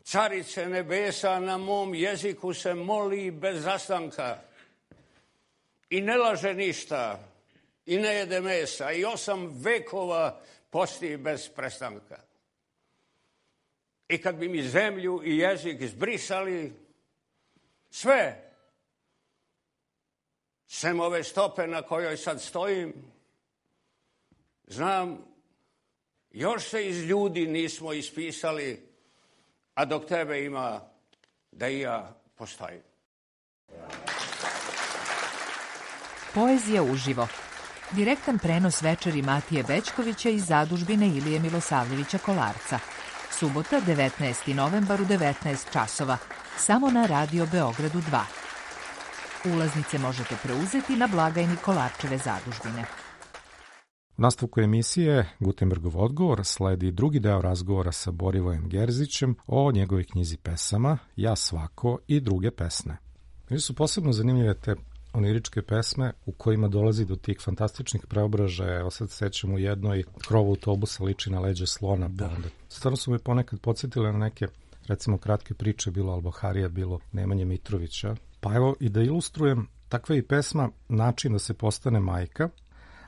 carice nebesa na mom jeziku se moli bez zastanka i ne laže ništa i ne jede mesa i 8 vekova posti bez prestanka. I kad bi mi zemlju i jezik izbrisali, sve, sem ove stope na kojoj sad stojim, znam, još se iz ljudi nismo ispisali, a dok tebe ima, da i ja postojim. Poezija uživo. Direktan prenos večeri Matije Bećkovića iz zadužbine Ilije Milosavljevića Kolarca. Subota, 19. novembar u 19 časova. Samo na Radio Beogradu 2. Ulaznice možete preuzeti na blagajni Kolarčeve zadužbine. U nastavku emisije Gutenbergov odgovor sledi drugi deo razgovora sa Borivojem Gerzićem o njegovoj knjizi pesama Ja svako i druge pesme. Meni su posebno zanimljive te oniričke pesme u kojima dolazi do tih fantastičnih preobražaja. Evo sad sećam u jednoj krovu autobusa liči na leđe slona. Pa onda. Stvarno su me ponekad podsjetile na neke, recimo, kratke priče, bilo Alboharija, bilo Nemanje Mitrovića. Pa evo i da ilustrujem, takva je i pesma Način da se postane majka.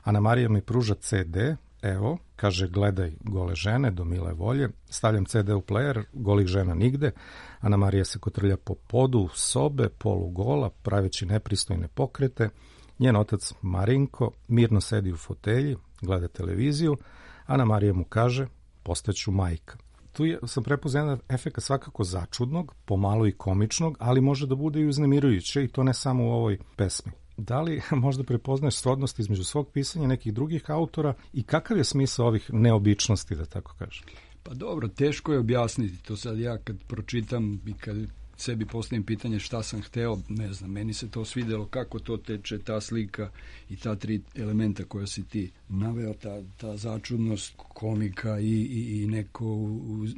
Ana Marija mi pruža CD, evo, kaže gledaj gole žene do mile volje, stavljam CD u player, golih žena nigde, Ana Marija se kotrlja po podu sobe, polugola, praveći nepristojne pokrete, njen otac Marinko mirno sedi u fotelji, gleda televiziju, Ana Marija mu kaže, postaću majka. Tu sam prepoznao jedan efekt svakako začudnog, pomalo i komičnog, ali može da bude i uznemirujuće i to ne samo u ovoj pesmi. Da li možda prepoznaješ srodnost između svog pisanja nekih drugih autora i kakav je smisao ovih neobičnosti, da tako kažem? Pa dobro, teško je objasniti to sad. Ja kad pročitam i kad sebi postavim pitanje šta sam hteo, ne znam, meni se to svidelo kako to teče, ta slika i ta tri elementa koja si ti naveo, ta začudnost komika i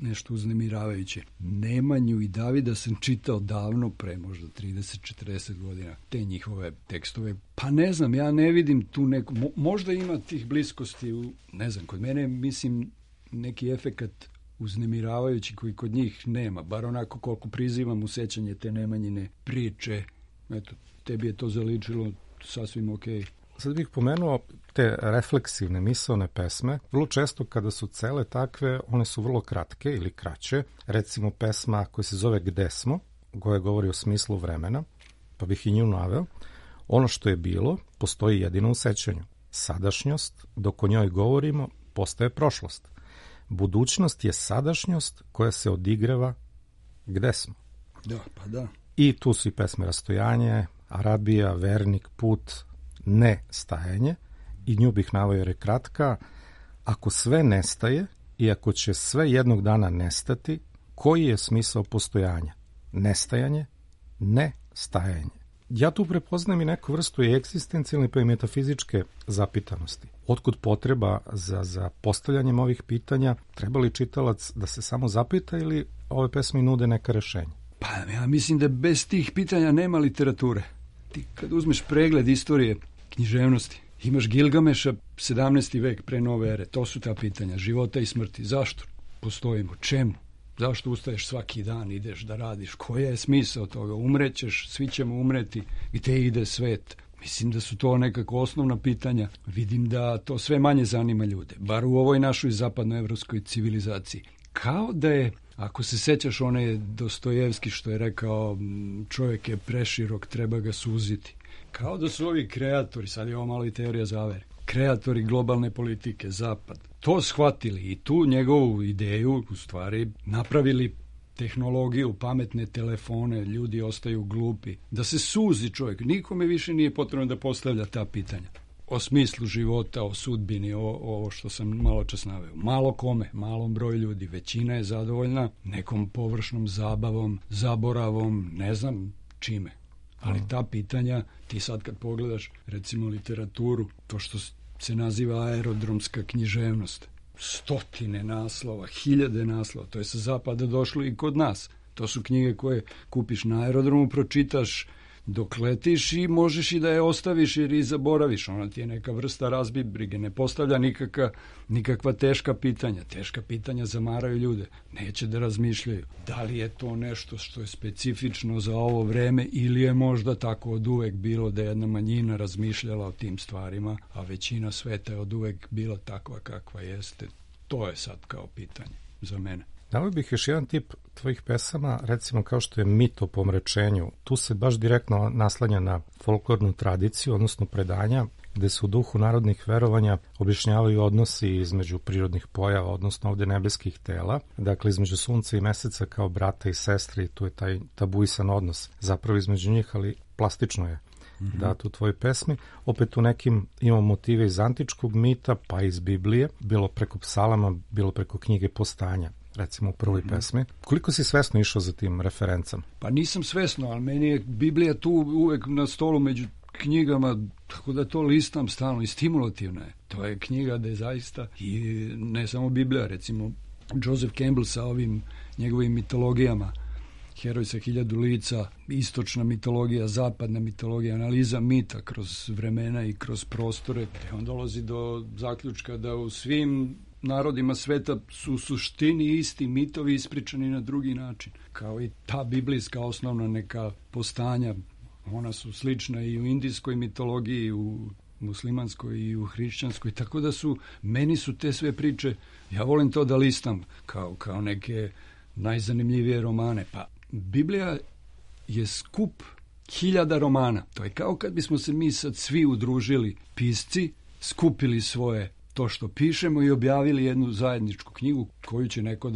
nešto uznemiravajuće. Nemanju i Davida sam čitao davno, pre možda 30-40 godina, te njihove tekstove. Pa ne znam, ja ne vidim tu neku, možda ima tih bliskosti, ne znam, kod mene mislim neki efekat uznemiravajući koji kod njih nema, bar onako koliko prizivam u sećanje te Nemanjine priče. Eto, tebi je to zaličilo sasvim okej. Sad bih pomenuo te refleksivne misaone pesme. Vrlo često kada su cele takve, one su vrlo kratke ili kraće. Recimo pesma koja se zove Gde smo, koja govori o smislu vremena, pa bih i nju naveo. Ono što je bilo, postoji jedino u sećanju. Sadašnjost, dok o njoj govorimo, postaje prošlost. Budućnost je sadašnjost koja se odigrava gde smo. Da, pa da. I tu su i pesme Rastojanje, Arabija, Vernik, Put, Nestajanje. I nju bih naveo jer je kratka. Ako sve nestaje i ako će sve jednog dana nestati, koji je smisao postojanja? Nestajanje, nestajanje. Ja tu prepoznajem i neku vrstu i egzistencijalne pa i metafizičke zapitanosti. Otkud potreba za postavljanjem ovih pitanja? Treba li čitalac da se samo zapita ili ove pesme nude neka rešenja? Pa ja mislim da bez tih pitanja nema literature. Ti kad uzmeš pregled istorije književnosti, imaš Gilgameša, 17. vek pre nove ere, to su ta pitanja, života i smrti. Zašto postojimo? Čemu? Zašto ustaješ svaki dan, ideš da radiš? Koja je smisao toga? Umrećeš, svi ćemo umreti, gde ide svet? Mislim da su to nekako osnovna pitanja. Vidim da to sve manje zanima ljude, bar u ovoj našoj zapadnoevropskoj civilizaciji. Kao da je, ako se sećaš onaj Dostojevski što je rekao čovjek je preširok, treba ga suziti. Kao da su ovi kreatori, sad je ovo malo i teorija zavere, kreatori globalne politike, Zapad, to shvatili i tu njegovu ideju u stvari napravili tehnologiju, pametne telefone, ljudi ostaju glupi. Da se suzi čovjek, nikome više nije potrebno da postavlja ta pitanja. O smislu života, o sudbini, ovo što sam malo čas naveo. Malo kome, malom broju ljudi, većina je zadovoljna nekom površnom zabavom, zaboravom, ne znam čime. Ali ta pitanja, ti sad kad pogledaš recimo literaturu, to što se naziva aerodromska književnost, 100 naslova, 1000 naslova, to je sa zapada došlo i kod nas. To su knjige koje kupiš na aerodromu, pročitaš dok letiš i možeš i da je ostaviš jer i zaboraviš. Ona ti je neka vrsta razbibrige, ne postavlja nikakva teška pitanja. Teška pitanja zamaraju ljude, neće da razmišljaju. Da li je to nešto što je specifično za ovo vreme ili je možda tako od uvek bilo da je jedna manjina razmišljala o tim stvarima, a većina sveta je od uvek bila takva kakva jeste. To je sad kao pitanje za mene. Dao bih još jedan tip tvojih pesama, recimo kao što je Mit o pomračenju. Tu se baš direktno naslanja na folklornu tradiciju, odnosno predanja, gde se u duhu narodnih verovanja objašnjavaju odnosi između prirodnih pojava, odnosno ovde nebeskih tela, dakle između sunca i meseca kao brata i sestre, i tu je taj tabuisan odnos zapravo između njih, ali plastično je dat u tvojoj pesmi. Opet u nekim imamo motive iz antičkog mita, pa iz Biblije, bilo preko psalama, bilo preko knjige Postanja, recimo u prvoj pesmi. Koliko si svesno išao za tim referencama? Pa nisam svesno, ali meni je Biblija tu uvek na stolu među knjigama, tako da to listam stalno i stimulativna je. To je knjiga da je zaista, i ne samo Biblija, recimo Joseph Campbell sa ovim njegovim mitologijama, Heroj sa 1000 lica, istočna mitologija, zapadna mitologija, analiza mita kroz vremena i kroz prostore, gde on dolazi do zaključka da u svim narodima sveta su u suštini isti mitovi ispričani na drugi način. Kao i ta biblijska osnovna neka postanja, ona su slična i u indijskoj mitologiji, u muslimanskoj i u hrišćanskoj, tako da meni su te sve priče, ja volim to da listam kao neke najzanimljivije romane. Pa Biblija je skup 1000 romana. To je kao kad bismo se mi sad svi udružili pisci, skupili svoje to što pišemo i objavili jednu zajedničku knjigu koju će neko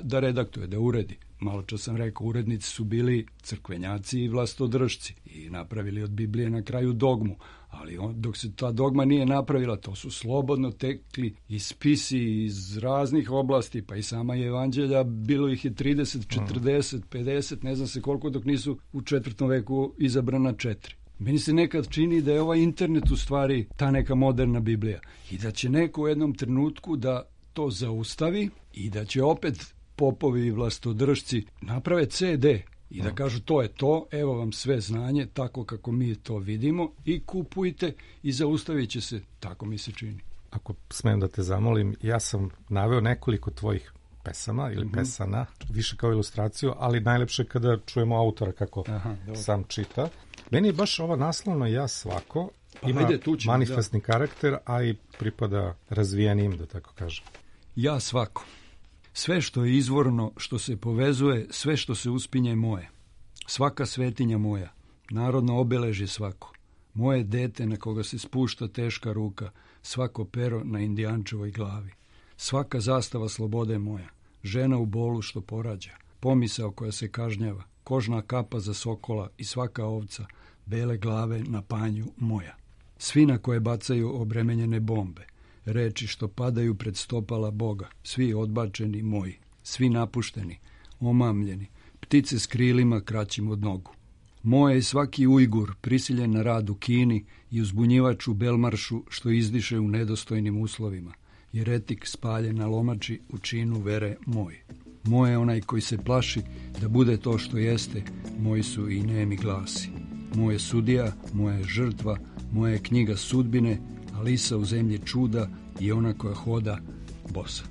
da redaktuje, da uredi. Malo čas sam rekao, urednici su bili crkvenjaci i vlastodržci i napravili od Biblije na kraju dogmu, ali dok se ta dogma nije napravila, to su slobodno tekli i spisi iz raznih oblasti, pa i sama evanđelja, bilo ih je 30, 40, 50, ne znam se koliko, dok nisu u 4. veku izabrana 4. Meni se nekad čini da je ovaj internet u stvari ta neka moderna Biblija i da će neko u jednom trenutku da to zaustavi i da će opet popovi i vlastodržci naprave CD i da kažu to je to, evo vam sve znanje, tako kako mi to vidimo i kupujte i zaustavit će se, tako mi se čini. Ako smem da te zamolim, ja sam naveo nekoliko tvojih pesama ili pesana, više kao ilustraciju, ali najlepše kada čujemo autora kako sam čita. Meni je baš ova naslovna Ja svako, ima manifestni karakter, a i pripada razvijenim, da tako kažem. Ja svako. Sve što je izvorno, što se povezuje, sve što se uspinje je moje. Svaka svetinja moja, narodno obeležje svako. Moje dete na koga se spušta teška ruka, svako pero na indijančevoj glavi. Svaka zastava slobode je moja, žena u bolu što porađa, pomisao koja se kažnjava, kožna kapa za sokola i svaka ovca, bele glave na panju moja. Svi na koje bacaju obremenjene bombe, reči što padaju pred stopala Boga, svi odbačeni moji, svi napušteni, omamljeni, ptice s krilima kraćim od nogu. Moje je svaki Ujgur prisiljen na rad u Kini i uzbunjivač u Belmaršu što izdiše u nedostojnim uslovima, jeretik spaljen na lomači u činu vere moj. Moje je onaj koji se plaši da bude to što jeste, moji su i nemi glasi. Moje sudija, moja je žrtva, moja je knjiga sudbine, Alisa u zemlji čuda i ona koja hoda bosa.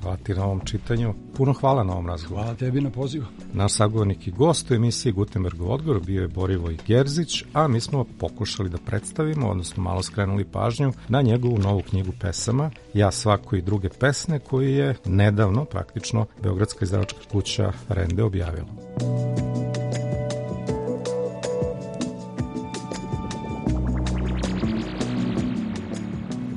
Hvala ti na ovom čitanju. Puno hvala na ovom razgovoru. Hvala tebi na pozivu. Naš sagovornik i gost u emisiji Gutenbergov odgovor bio je Borivoj Gerzić, a mi smo pokušali da predstavimo, odnosno malo skrenuli pažnju na njegovu novu knjigu pesama Ja svako i druge pesme, koju je nedavno, praktično, Beogradska izdavačka kuća Rende objavila.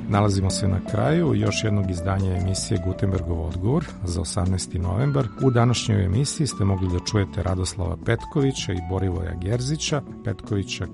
Nalazimo se na kraju još jednog izdanja emisije Gutenbergov odgovor za 18. novembar. U današnjoj emisiji ste mogli da čujete Radoslava Petkovića i Borivoja Gerzića. Petkovića